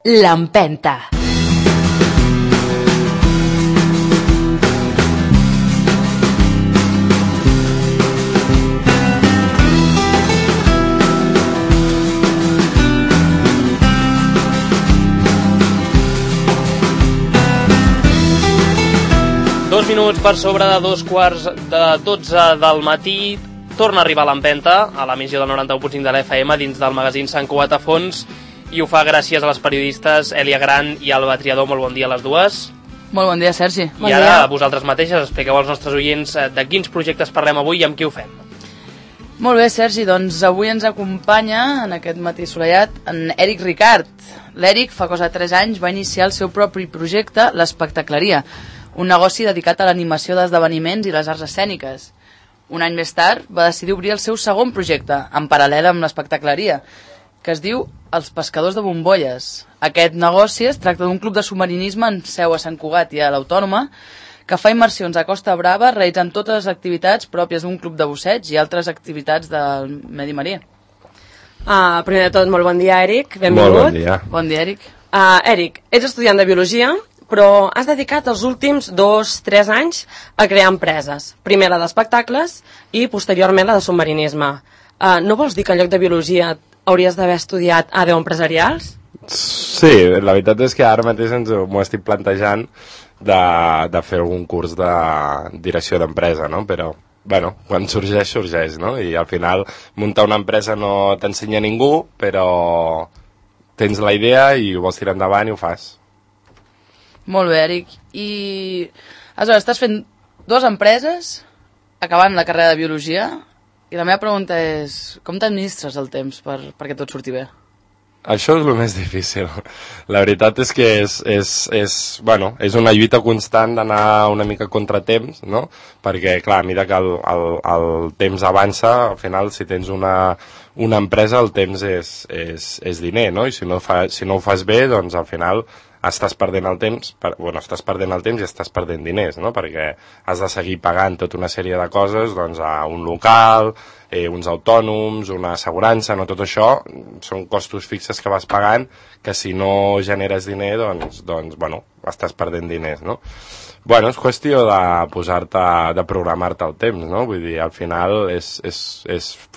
L'Empenta. Dos minuts per sobre de 2:15 del matí. Torna a arribar l'Empenta a l'emissió del 91.5 de l'FM dins del magazín Sant Cugat a Fons, i ho fa gràcies a les periodistes Èlia Gran i Alba Triador. Molt bon dia a les dues. Molt bon dia, Sergi. I ara vosaltres mateixes expliqueu als nostres oients de quins projectes parlem avui i amb qui ho fem. Molt bé, Sergi, doncs avui ens acompanya en aquest matí assolellat en Eric Ricart. L'Eric fa cosa de 3 anys va iniciar el seu propi projecte, l'Espectacleria, un negoci dedicat a l'animació d'esdeveniments i les arts escèniques. Un any més tard va decidir obrir el seu segon projecte, en paral·lel amb l'Espectacleria, que es diu Els Pescadors de Bombolles. Aquest negoci es tracta d'un club de submarinisme en seu a Sant Cugat i a l'Autònoma, que fa immersions a Costa Brava realitzant totes les activitats pròpies d'un club de busseig i altres activitats del medi marí. Primer de tot, molt bon dia, Eric. Benvingut. Molt bon dia. Bon dia, Eric. Eric, ets estudiant de Biologia, però has dedicat els últims 2-3 anys a crear empreses. Primer la d'espectacles i posteriorment la de submarinisme. No vols dir que en lloc de Biologia hauries d'haver estudiat ADO empresarials? Sí, la veritat és que ara mateix m'ho estic plantejant de fer algun curs de direcció d'empresa, no? Però, bueno, quan sorgeix, sorgeix, no? I al final muntar una empresa no t'ensenya ningú, però tens la idea i ho vols tirar endavant i ho fas. Molt bé, Eric. I aleshores estàs fent 2 empreses acabant la carrera de Biologia, i la meva pregunta és com t'administres el temps perquè tot surti bé? Això és el més difícil. La veritat és que és una lluita constant d'anar una mica contra temps, no? Perquè, clar, a mesura que el temps avança, al final, si tens una empresa, el temps és diner, no? I si no ho fas bé, doncs al final estàs perdent el temps, i estàs perdent diners, no? Perquè has de seguir pagant tota una sèrie de coses, doncs, a un local, uns autònoms, una assegurança, no? Tot això són costos fixes que vas pagant, que si no generes diner, doncs estàs perdent diners, no? Bueno, és qüestió de programar-te el temps, no? Vull dir, al final és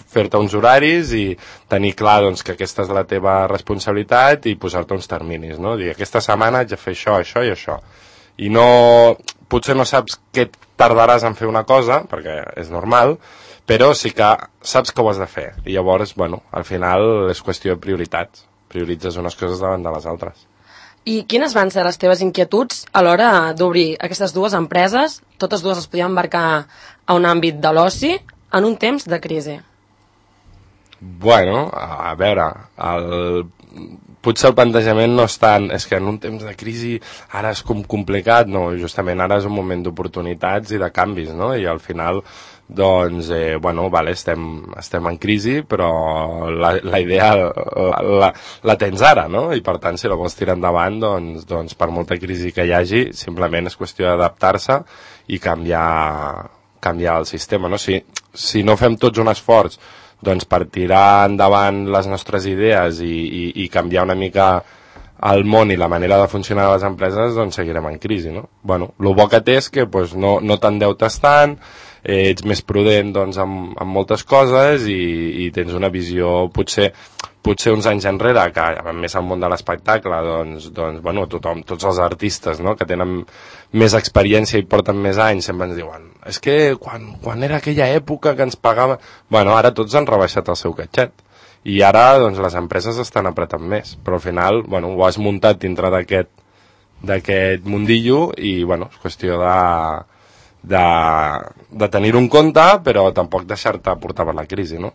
fer-te uns horaris i tenir clar, doncs, que aquesta és la teva responsabilitat i posar-te uns terminis, no? Dir, aquesta setmana haig de fer això, això i això. I potser no saps què tardaràs en fer una cosa, perquè és normal, però sí que saps que ho has de fer. I llavors, bueno, al final és qüestió de prioritats. Prioritzes unes coses davant de les altres. I quines van ser les teves inquietuds a l'hora d'obrir aquestes 2 empreses? Totes 2 es podien embarcar a un àmbit de l'oci en un temps de crisi. Bueno, a veure, potser el plantejament no és tant, és que en un temps de crisi ara és com complicat, no, justament ara és un moment d'oportunitats i de canvis, no? I al final, doncs, estem en crisi, però la idea la tens ara, no? I per tant, si la vols tirar endavant, doncs per molta crisi que hi hagi, simplement és qüestió d'adaptar-se i canviar el sistema, no? Si no fem tots un esforç, doncs per tirar endavant les nostres idees i canviar una mica el món i la manera de funcionar de les empreses, doncs seguirem en crisi, no? Bueno, el bo que té és que no t'endeutes tant, ets més prudent, doncs, amb moltes coses i tens una visió potser uns anys enrere, que més al món de l'espectacle, tots els artistes, no?, que tenen més experiència i porten més anys, sempre ens diuen, és que quan era aquella època que ens pagava... Bueno, ara tots han rebaixat el seu catxet. I ara, doncs, les empreses estan apretant més. Però al final, ho has muntat dintre d'aquest mundillo i, és qüestió de tenir-ho en compte, però tampoc deixar-te portar per la crisi, no?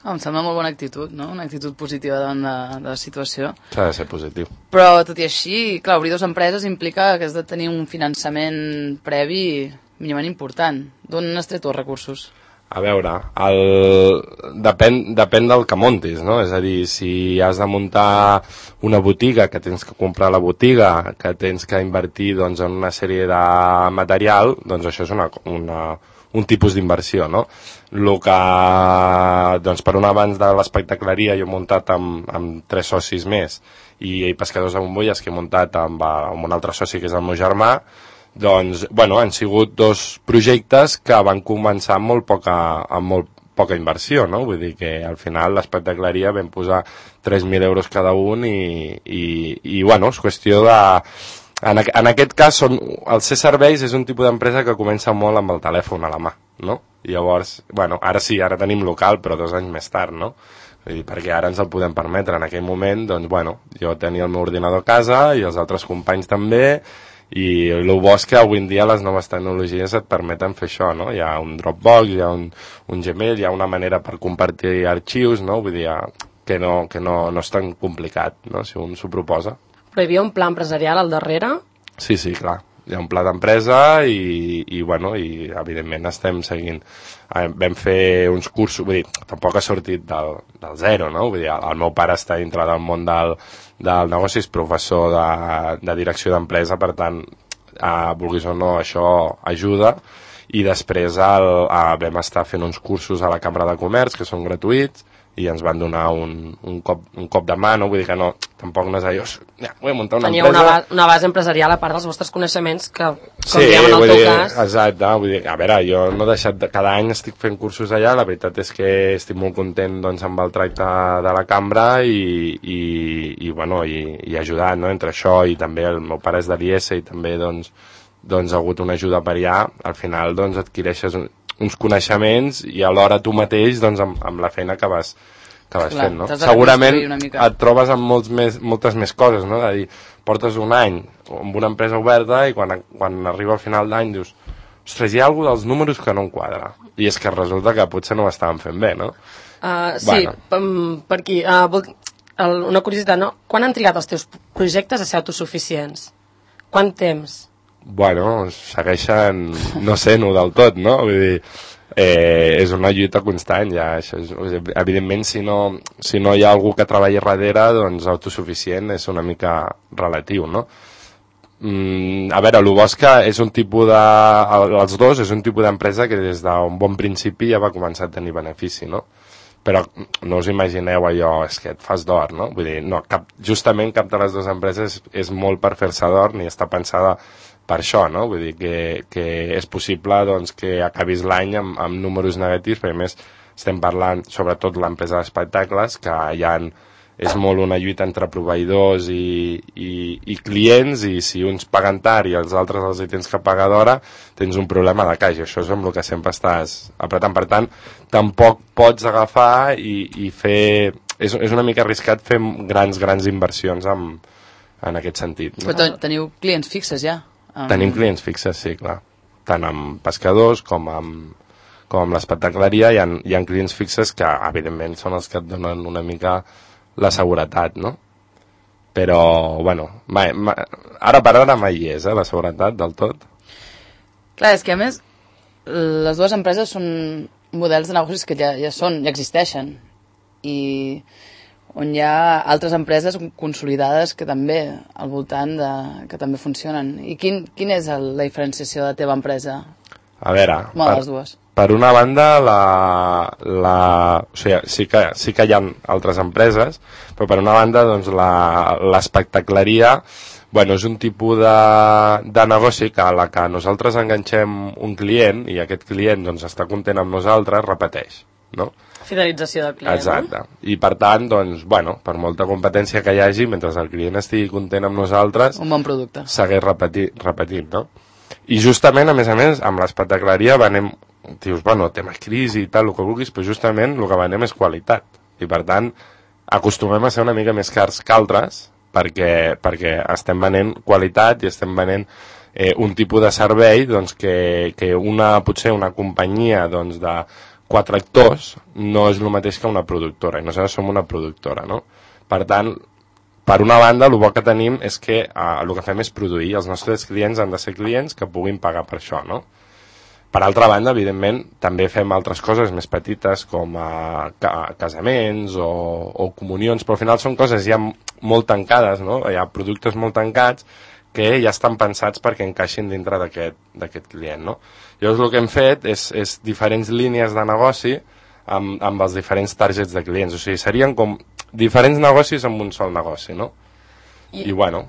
Em sembla molt bona actitud, no? Una actitud positiva davant de la situació. S'ha de ser positiu. Però, tot i així, clar, obrir 2 empreses implica que has de tenir un finançament previ mínimament important. D'on has tret els recursos? A veure, depèn del que montis, no? És a dir, si has de muntar una botiga, que tens que comprar la botiga, que tens que invertir, doncs, en una sèrie de material, doncs això és un tipus d'inversió, no? El que, doncs, per una abans de l'espectacleria jo he muntat amb 3 socis més i Pescadors de Bombolles, que he muntat amb un altre soci que és el meu germà, doncs, bueno, han sigut 2 projectes que van començar amb molt poca inversió, no? Vull dir que al final l'espectacleria vam posar 3.000 euros cada un i bueno, és qüestió de... En aquest cas, el C-Serveis és un tipus d'empresa que comença molt amb el telèfon a la mà, no? Llavors, bueno, ara sí, ara tenim local, però 2 anys més tard, no? Vull dir, perquè ara ens el podem permetre. En aquell moment, doncs, bueno, jo tenia el meu ordinador a casa i els altres companys també, i el bo és que avui en dia les noves tecnologies et permeten fer això, no? Hi ha un Dropbox, hi ha un Gmail, hi ha una manera per compartir arxius, no? Vull dir, que no és tan complicat, no? Si un s'ho proposa. Però hi havia un pla empresarial al darrere? Sí, clar. Hi ha un pla d'empresa i bueno, i evidentment estem seguint. Vam fer uns cursos, vull dir, tampoc ha sortit del zero, no? Vull dir, el meu pare està dintre del món del negoci, és professor de direcció d'empresa, per tant, vulguis o no, això ajuda. I després vam estar fent uns cursos a la Cambra de Comerç, que són gratuïts, i ens van donar un cop de mà, no? Vull dir que no, tampoc no és allò, vull muntar una empresa... Tenia una base empresarial a part dels vostres coneixements que, com diem en el teu cas... Exacte, vull dir, a veure, jo no he deixat cada any estic fent cursos allà, la veritat és que estic molt content, doncs, amb el tracte de la cambra i bueno, i ajudant, no? Entre això i també el meu pare és de l'IES i també, doncs, ha hagut una ajuda per allà, al final, doncs, adquireixes uns coneixements i alhora tu mateix, doncs, amb la feina que vas fent, no? Segurament et trobes amb moltes més coses, no? De dir, portes un any amb una empresa oberta i quan arriba al final d'any dius, ostres, hi ha alguna dels números que no em quadra. I és que resulta que potser no ho estàvem fent bé, no? Sí, per aquí. Una curiositat, no? Quan han trigat els teus projectes a ser autosuficients? Quant temps? Bueno, segueixen no sent-ho del tot, no? Vull dir, és una lluita constant, ja. Això evidentment, si no hi ha algú que treballi darrere, doncs autosuficient és una mica relatiu, no? A veure, el bo és que és un tipus els dos és un tipus d'empresa que des d'un bon principi ja va començar a tenir benefici, no? Però no us imagineu allò, és que et fas d'or, no? Vull dir, no, justament cap de les dues empreses és molt per fer-se d'or ni està pensada per això, no? Vull dir que és possible, doncs, que acabis l'any amb números negatius, perquè a més estem parlant sobretot l'empresa d'espectacles, que és molt una lluita entre proveïdors i clients, i si uns paguen tard i els altres els hi tens que pagar d'hora, tens un problema de caixa. Això és amb el que sempre estàs apretant. Per tant, tampoc pots agafar i fer... És una mica arriscat fer grans inversions en aquest sentit, no? Però teniu clients fixes ja? Tenim clients fixes, sí, clar. Tant amb pescadors com amb l'espectacleria hi ha clients fixes que, evidentment, són els que et donen una mica la seguretat, no? Però, bueno, ara per ara mai hi és, la seguretat del tot. Clar, és que a més, les dues empreses són models de negocis que ja existeixen, i on hi ha altres empreses consolidades que també al voltant que també funcionen. I quin és la diferenciació de la teva empresa? A veure, les dues. Per una banda, o sigui, sí que hi ha altres empreses, però per una banda, doncs, l'espectacleria, bueno, és un tipus de negoci que a la que nosaltres enganxem un client i aquest client, doncs, està content amb nosaltres, repeteix, no? Fidelització del client. Exacte. I per tant, doncs, bueno, per molta competència que hi hagi, mentre el client estigui content amb nosaltres, un bon producte. Segueix repetint, no? I justament, a més, amb l'espectacleria dius, bueno, tema crisi i tal, el que vulguis, però justament el que venem és qualitat. I per tant, acostumem a ser una mica més cars que altres perquè estem venent qualitat i estem venent un tipus de servei, doncs, que potser una companyia, doncs, de 4 actors no és el mateix que una productora, i nosaltres som una productora, no? Per tant, per una banda, el bo que tenim és que el que fem és produir. Els nostres clients han de ser clients que puguin pagar per això, no? Per altra banda, evidentment, també fem altres coses més petites, com casaments o comunions, però al final són coses ja molt tancades, no? Hi ha productes molt tancats que ja estan pensats perquè encaixin dintre d'aquest client, no? Llavors el que hem fet és diferents línies de negoci amb els diferents targets de clients, o sigui, serien com diferents negocis amb un sol negoci, no? I bueno,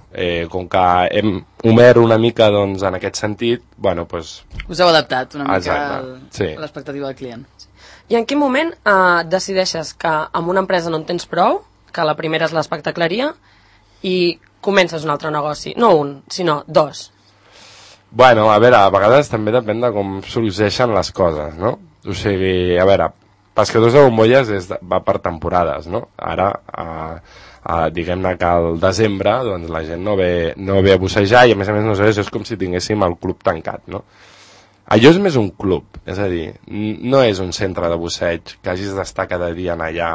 com que hem obert una mica doncs, en aquest sentit, bueno, doncs... Us heu adaptat una mica sí. a l'expectativa del client. I en quin moment decideixes que amb una empresa no en tens prou, que la primera és l'espectacleria, i comences un altre negoci? No un, sinó dos. Bueno, a veure, a vegades també depèn de com sorgeixen les coses, no? O sigui, a veure, Pescadors de Bombolles va per temporades, no? Ara, diguem-ne que al desembre doncs, la gent no ve a bussejar i a més no sé, és com si tinguéssim el club tancat, no? Allò és més un club, és a dir, no és un centre de busseig que hagis d'estar cada dia en allà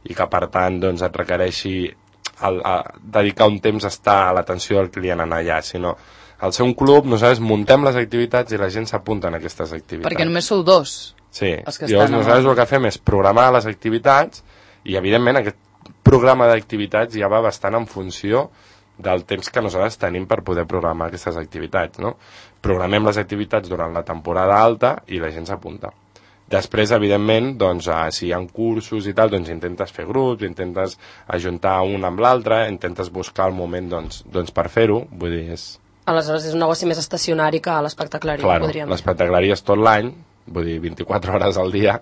i que per tant doncs, et requereixi dedicar un temps a estar a l'atenció del client en allà, sinó al ser un club nosaltres muntem les activitats i la gent s'apunta en aquestes activitats. Perquè només sou dos. Sí, llavors nosaltres el que fem és programar les activitats i evidentment aquest programa d'activitats ja va bastant en funció del temps que nosaltres tenim per poder programar aquestes activitats, no? Programem les activitats durant la temporada alta i la gent s'apunta. Després, evidentment, doncs, si hi ha cursos i tal, doncs intentes fer grups, intentes ajuntar un amb l'altre, intentes buscar el moment doncs, per fer-ho, vull dir, és... Aleshores és un negoci més estacionari que l'espectacleria, claro, podríem dir. L'espectacleria és tot l'any, vull dir, 24 hores al dia,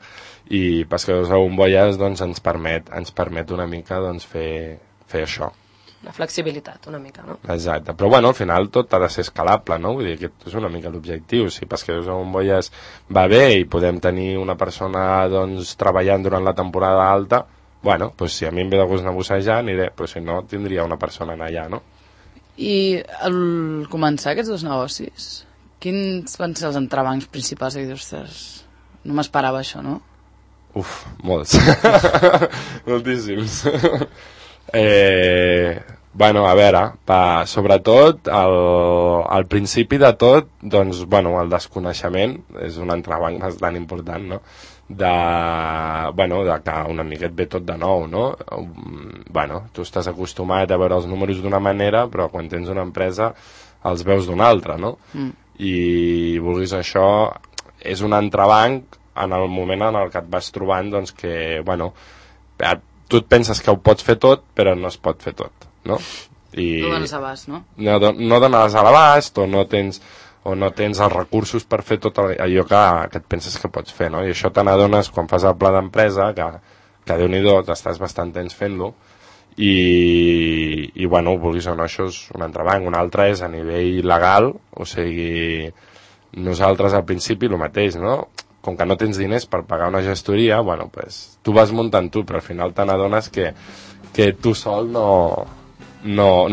i Pescadors de Bombolles doncs, ens permet una mica doncs, fer això. Una flexibilitat, una mica, no? Exacte, però bueno, al final tot ha de ser escalable, no? Vull dir, aquest és una mica l'objectiu. Si Pescadors de Bombolles va bé i podem tenir una persona doncs, treballant durant la temporada alta, bueno, doncs si a mi em ve de gust anar a bussejar, aniré, però si no, tindria una persona allà, no? I al començar aquests dos negocis, quins van ser els entrebancs principals? Ostres, no m'esperava això, no? Uf, molts. Moltíssims. Bueno, a veure, sobretot al principi de tot, doncs, bueno, el desconeixement és un entrebanc bastant important, no? De que una mica et ve tot de nou, no? Bueno, tu estàs acostumat a veure els números d'una manera, però quan tens una empresa els veus d'una altra, no? I vulguis això, és un entrebanc en el moment en el que et vas trobant, doncs que, bueno, tu et penses que ho pots fer tot, però no es pot fer tot, no? No dones abast, no? No dones a l'abast o no tens els recursos per fer tot allò que et penses que pots fer, no? I això te n'adones quan fas el pla d'empresa, que Déu-n'hi-do, estàs bastant temps fent-lo, i bueno, vulguis o no, això és un entrebanc. Un altre és a nivell legal, o sigui, nosaltres al principi el mateix, no? Com que no tens diners per pagar una gestoria, bueno, pues, tu vas muntant tu, però al final te n'adones que tu sol no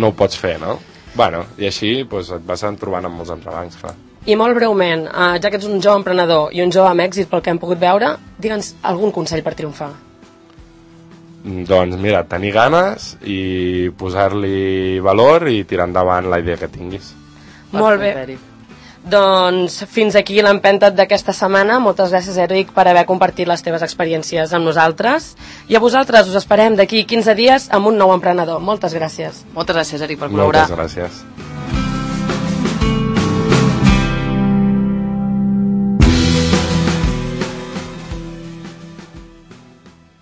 ho pots fer, no? Bueno, i així pues, et vas trobant amb molts entrebancs, clar. I molt breument, ja que ets un jove emprenedor i un jove amb èxit pel que hem pogut veure, digue'ns algun consell per triomfar. Doncs mira, tenir ganes i posar-li valor i tirar endavant la idea que tinguis. Molt bé. Doncs fins aquí l'empenta d'aquesta setmana. Moltes gràcies, Eric, per haver compartit les teves experiències amb nosaltres. I a vosaltres us esperem d'aquí 15 dies amb un nou emprenedor. Moltes gràcies. Moltes gràcies, Eric, per col·laborar. Moltes gràcies.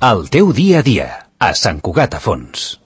El teu dia a dia, a Sant Cugat a Fons.